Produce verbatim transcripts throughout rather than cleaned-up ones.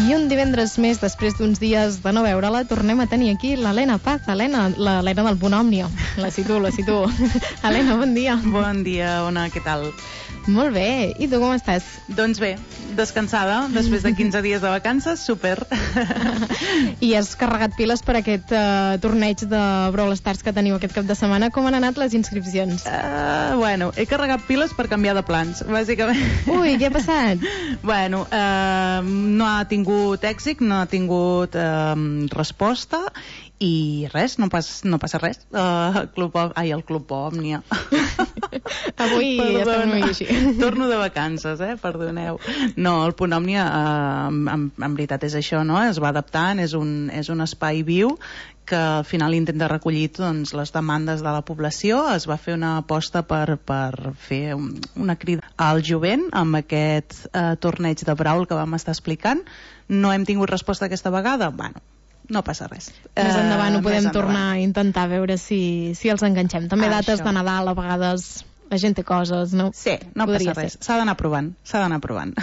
I un divendres més, després d'uns dies de no veure-la, tornem a tenir aquí l'Helena Paz. Helena, l'Helena del Punt Òmnia. La situo, la situo. Helena, bon dia. Bon dia, Ona, què tal? Molt bé. I tu com estàs? Doncs bé, descansada, després de quinze dies de vacances, super. I has carregat piles per aquest uh, torneig de Brawl Stars que teniu aquest cap de setmana. Com han anat les inscripcions? Uh, bueno, he carregat piles per canviar de plans, bàsicament. Ui, què ha passat? Bueno, uh, no ha tingut èxit, no ha tingut uh, resposta i res, no, pas, no passa res. Uh, Club, ai, el Club Òmnia. Avui ja estem una mica així. Torno de vacances, eh? Perdoneu. No, el Punt Òmnia, uh, en, en veritat és això, no? Es va adaptant, és un, és un espai viu que al final intenta recollir doncs, les demandes de la població. Es va fer una aposta per, per fer un, una crida al jovent amb aquest uh, torneig de Brawl que vam estar explicant. No hem tingut resposta aquesta vegada? Bueno, no passa res. Més endavant ho podem uh, tornar a intentar a veure si, si els enganxem. També ah, dates això. de Nadal, a vegades la gent té coses, no? Sí, no Podria passa res. ser. S'ha d'anar provant, s'ha d'anar provant.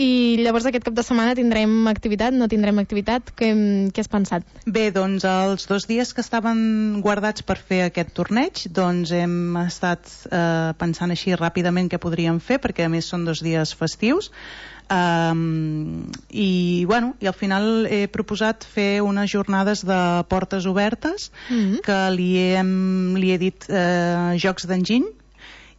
I llavors aquest cap de setmana tindrem activitat, no tindrem activitat? Què, què has pensat? Bé, doncs els dos dies que estaven guardats per fer aquest torneig, doncs hem estat eh, pensant així ràpidament què podríem fer, perquè a més són dos dies festius. Um, i bueno, i al final he proposat fer unes jornades de portes obertes, mm-hmm. que li he, li he dit eh, jocs d'enginy,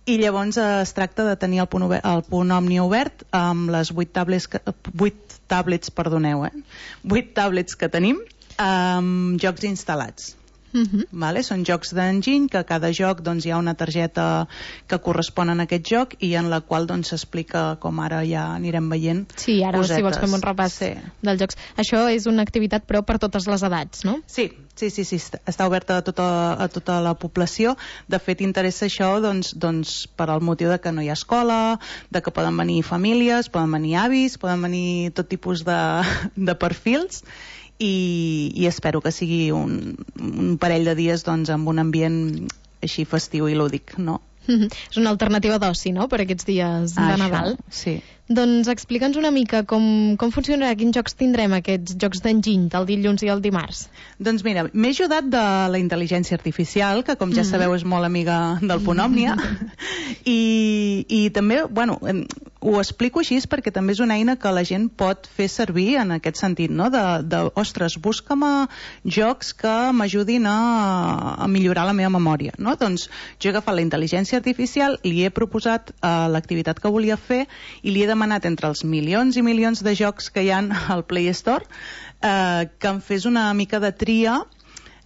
i llavors eh, es tracta de tenir el punt, obert, el punt Òmnia obert amb les vuit tablets, que, vuit tablets, perdoneu, eh? vuit tablets que tenim amb jocs instal·lats. Mm-hmm. Vale? Són jocs d'enginy, que a cada joc doncs, hi ha una targeta que correspon a aquest joc i en la qual doncs, s'explica, com ara ja anirem veient, sí, ara cosetes. Si vols fem un repàs sí. dels jocs. Això és una activitat però per totes les edats, no? Sí, sí, sí, sí. Està oberta a tota, a tota la població. De fet, interessa això doncs, doncs, per al motiu de que no hi ha escola, de que poden venir famílies, poden venir avis, poden venir tot tipus de, de perfils. I, i espero que sigui un, un parell de dies doncs, amb un ambient així festiu i lúdic, no? Mm-hmm. És una alternativa d'oci, no?, per aquests dies de Això, Nadal. Sí. Doncs explica'ns una mica com, com funcionarà, quins jocs tindrem, aquests jocs d'enginy, el dilluns i el dimarts. Doncs mira, m'he ajudat de la intel·ligència artificial, que com ja mm-hmm. sabeu és molt amiga del Punt Òmnia, i, i també, bueno, ho explico així perquè també és una eina que la gent pot fer servir en aquest sentit, no? De, de ostres, busca'm jocs que m'ajudin a, a millorar la meva memòria, no? Doncs jo he agafat la intel·ligència artificial, li he proposat uh, l'activitat que volia fer i li he demanat entre els milions i milions de jocs que hi ha al Play Store uh, que em fes una mica de tria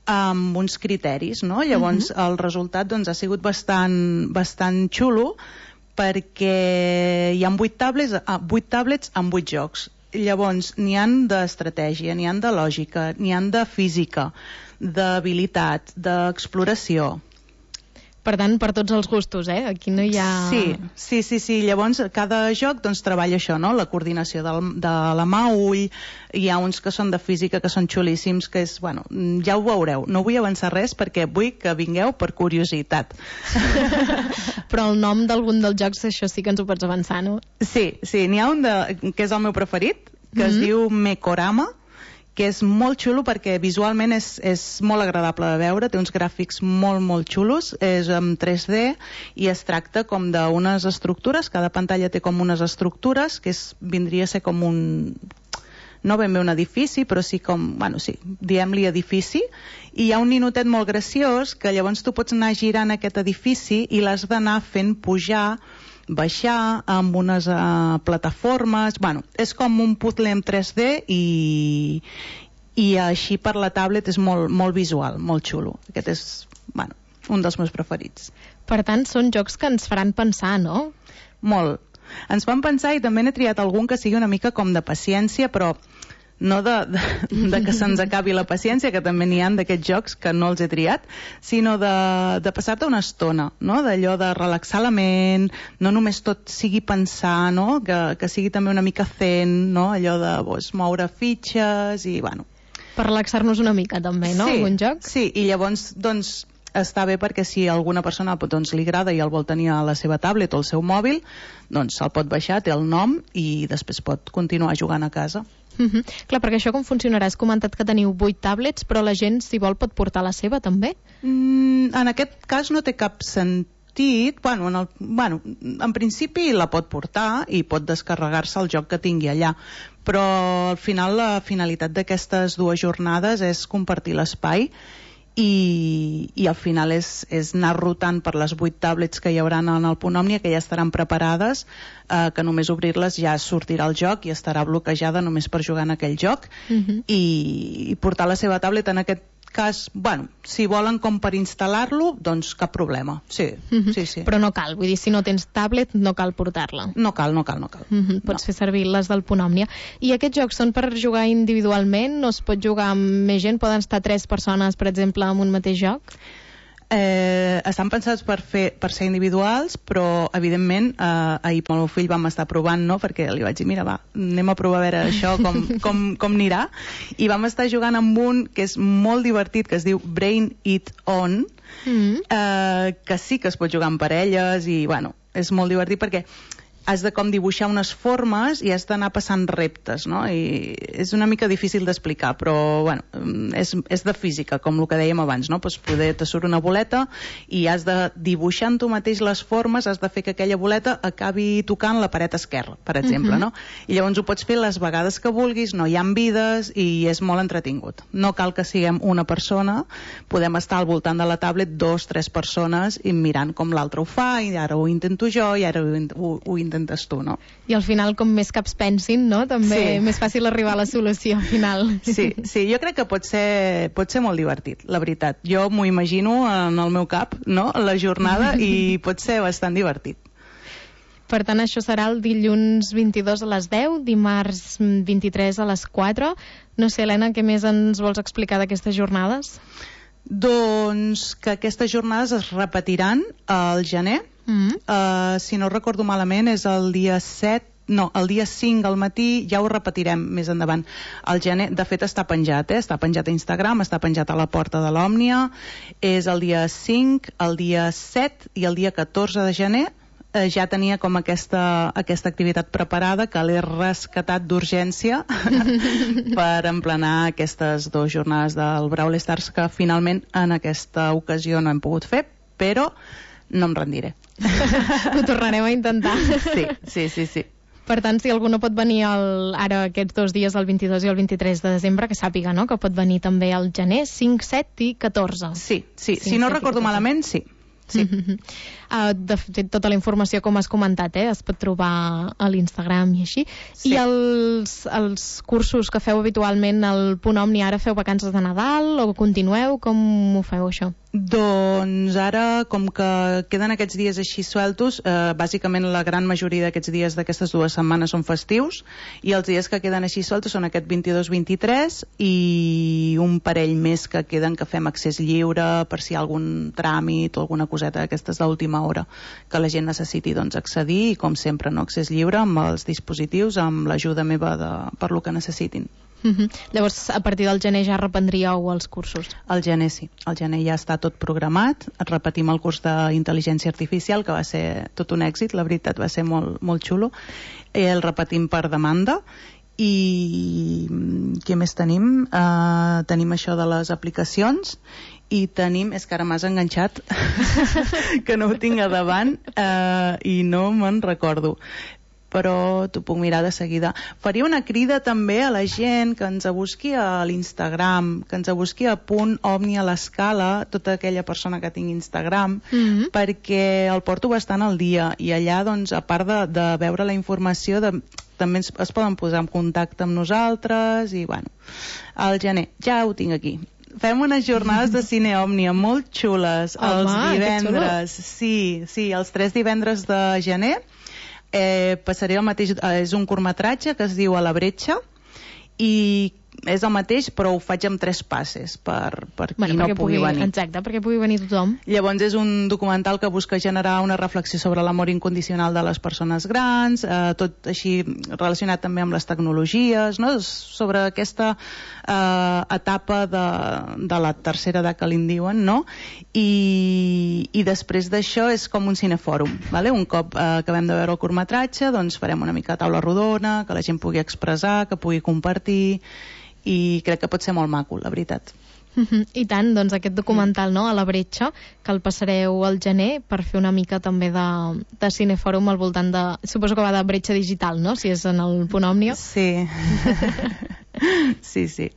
amb uns criteris, no? Llavors uh-huh. el resultat doncs, ha sigut bastant, bastant xulo, perquè hi ha vuit tablets, ah, vuit tablets amb vuit jocs. Llavors n'hi han d'estratègia, n'hi han de lògica, n'hi han de física, d'habilitat, d'exploració. Per tant, per tots els gustos, eh? Aquí no hi ha... Sí, sí, sí, sí. Llavors, cada joc doncs, treballa això, no? La coordinació del, de la mà-ull, hi ha uns que són de física que són xulíssims, que és, bueno, ja ho veureu. No vull avançar res perquè vull que vingueu per curiositat. Però el nom d'algun dels jocs, això sí que ens ho pots avançar, no? Sí, sí. N'hi ha un de, que és el meu preferit, que mm-hmm. es diu Mekorama, que és molt xulo perquè visualment és, és molt agradable de veure, té uns gràfics molt, molt xulos, és en tres D i es tracta com d'unes estructures, cada pantalla té com unes estructures, que és, vindria a ser com un... no ben bé un edifici, però sí com, bueno, sí, diem-li edifici, i hi ha un ninotet molt graciós que llavors tu pots anar girant aquest edifici i l'has d'anar fent pujar, baixar amb unes uh, plataformes, bueno, és com un puzzle en tres D i, i així per la tablet és molt, molt visual, molt xulo. Aquest és, bueno, un dels meus preferits. Per tant, són jocs que ens faran pensar, no? Molt. Ens fan pensar i també n'he triat algun que sigui una mica com de paciència, però no de, de, de que se'ns acabi la paciència, que també n'hi ha d'aquests jocs que no els he triat, sinó de, de passar-te una estona, no? D'allò de relaxar la ment, no només tot sigui pensar, no? Que, que sigui també una mica zen, no? Allò de pues, moure fitxes i, bueno... Per relaxar-nos una mica també, no? Sí, algun joc? Sí, i llavors, doncs, està bé perquè si alguna persona doncs, li agrada i el vol tenir a la seva tablet o al seu mòbil, doncs se'l pot baixar, té el nom i després pot continuar jugant a casa. Uh-huh. Clar, perquè això com funcionarà? Has comentat que teniu vuit tablets, però la gent, si vol, pot portar la seva també? Mm, en aquest cas no té cap sentit. Bueno, en, el, bueno, en principi la pot portar i pot descarregar-se el joc que tingui allà, però al final la finalitat d'aquestes dues jornades és compartir l'espai i, i al final és, és anar rotant per les vuit tablets que hi haurà en el Punt Òmnia, que ja estaran preparades, eh, que només obrir-les ja sortirà el joc i estarà bloquejada només per jugar en aquell joc. Uh-huh. i, i portar la seva tablet en aquest cas, bueno, si volen com per instal·lar-lo, doncs cap problema. Sí, uh-huh. sí, sí. Però no cal, vull dir, si no tens tablet no cal portar-la. No cal, no cal, no cal. Uh-huh. Pots no. fer servir les del Punt Òmnia. I aquests jocs són per jugar individualment? No es pot jugar amb més gent? Poden estar tres persones, per exemple, en un mateix joc? Eh, estan pensats per, fer, per ser individuals, però evidentment eh, ahir amb el meu fill vam estar provant, no? Perquè li vaig dir, mira, va, anem a provar a veure això com, com, com anirà, i vam estar jugant amb un que és molt divertit, que es diu Brain It On, mm-hmm. eh, que sí que es pot jugar amb parelles i bueno, és molt divertit perquè has de com dibuixar unes formes i has d'anar passant reptes, no? I és una mica difícil d'explicar, però bueno, és, és de física, com el que dèiem abans, no? Pues poder te surt una boleta i has de dibuixar en tu mateix les formes, has de fer que aquella boleta acabi tocant la paret esquerra, per exemple, uh-huh. no? I llavors ho pots fer les vegades que vulguis, no hi ha vides i és molt entretingut. No cal que siguem una persona, podem estar al voltant de la tablet dos, tres persones i mirant com l'altre ho fa, i ara ho intento jo, i ara ho, ho, ho intento intentes tu, no? I al final, com més caps pensin, no? També sí. més fàcil arribar a la solució al final. Sí, sí, jo crec que pot ser, pot ser molt divertit, la veritat. Jo m'ho imagino en el meu cap, no?, la jornada, i pot ser bastant divertit. Per tant, això serà el dilluns vint-i-dos a les deu, dimarts vint-i-tres a les quatre. No sé, Helena, què més ens vols explicar d'aquestes jornades? Doncs que aquestes jornades es repetiran al gener. Mm-hmm. uh, si no recordo malament és el dia set, no, el dia cinc al matí, ja ho repetirem més endavant. El gener, de fet està penjat, eh? Està penjat a Instagram, està penjat a la porta de l'Òmnia. És el dia cinc, el dia set i el dia catorze de gener. Eh, ja tenia com aquesta, aquesta activitat preparada que l'he rescatat d'urgència per emplenar aquestes dues jornades del Brawl Stars que finalment en aquesta ocasió no hem pogut fer, però no em rendiré. Ho tornarem a intentar. Sí, sí, sí, sí. Per tant, si algú no pot venir el, ara aquests dos dies, el vint-i-dos i el vint-i-tres de desembre, que sàpiga, no?, que pot venir també al gener, cinc, set i catorze. Sí, sí, cinc, si no recordo malament, sí. Sí. Uh, de fet, tota la informació, com has comentat, eh, es pot trobar a l'Instagram i així. Sí. I els, els cursos que feu habitualment al Punt Òmnia, ara feu vacances de Nadal o continueu? Com ho feu, això? Doncs ara, com que queden aquests dies així sueltos, eh, bàsicament la gran majoria d'aquests dies d'aquestes dues setmanes són festius, i els dies que queden així sueltos són aquest vint-i-dos vint-i-tres i un parell més que queden que fem accés lliure per si hi ha algun tràmit o alguna coseta d'aquestes d'última hora que la gent necessiti, doncs, accedir, i com sempre, no, accés lliure amb els dispositius, amb l'ajuda meva de, per lo que necessitin. Uh-huh. Llavors, a partir del gener ja reprendríeu els cursos? El gener sí, el gener ja està tot programat. Repetim el curs d'intel·ligència artificial, que va ser tot un èxit, la veritat, va ser molt, molt xulo. El repetim per demanda. I què més tenim? Uh, tenim això de les aplicacions i tenim, és que ara m'has enganxat que no ho tinc a davant, uh, i no me'n recordo, però t'ho puc mirar de seguida. Faria una crida també a la gent que ens busqui a l'Instagram, que ens busqui a Punt Òmnia a l'Escala, tota aquella persona que tingui Instagram, mm-hmm. perquè el porto bastant al dia, i allà, doncs, a part de, de veure la informació, de, també es, es poden posar en contacte amb nosaltres, i bueno, al gener, ja ho tinc aquí. Fem unes jornades de cine Òmnia molt xules, Home, els divendres, sí, sí, els tres divendres de gener. Eh, passaré el mateix, eh, és un curtmetratge que es diu A la bretxa, i és el mateix, però ho faig amb tres passes per, per qui bueno, no pugui, pugui venir. Exacte, perquè pugui venir tothom. Llavors és un documental que busca generar una reflexió sobre l'amor incondicional de les persones grans, eh, tot així relacionat també amb les tecnologies, no? Sobre aquesta eh, etapa de, de la tercera edat que li en diuen, no? I, i després d'això és com un cinefòrum, vale? Un cop eh, acabem de veure el curtmetratge, doncs farem una mica de taula rodona, que la gent pugui expressar, que pugui compartir, i crec que pot ser molt maco, la veritat. Uh-huh. I tant, doncs aquest documental, no?, a la Bretxa, que el passareu al gener per fer una mica també de, de cinefòrum al voltant de... Suposo que va de Bretxa digital, no?, si és en el Punt Òmnia. Sí. sí, sí.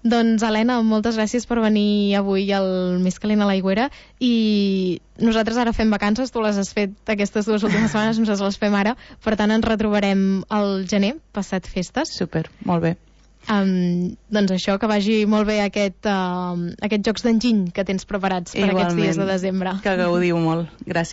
Doncs, Helena, moltes gràcies per venir avui al Més calent a l'aigüera, i nosaltres ara fem vacances, tu les has fet aquestes dues últimes setmanes, nosaltres les fem ara, per tant ens retrobarem al gener, passat festes. Super, molt bé. Um, doncs això, que vagi molt bé aquest, uh, aquests jocs d'enginy que tens preparats per Igualment, aquests dies de desembre. Que gaudiu molt. Gràcies.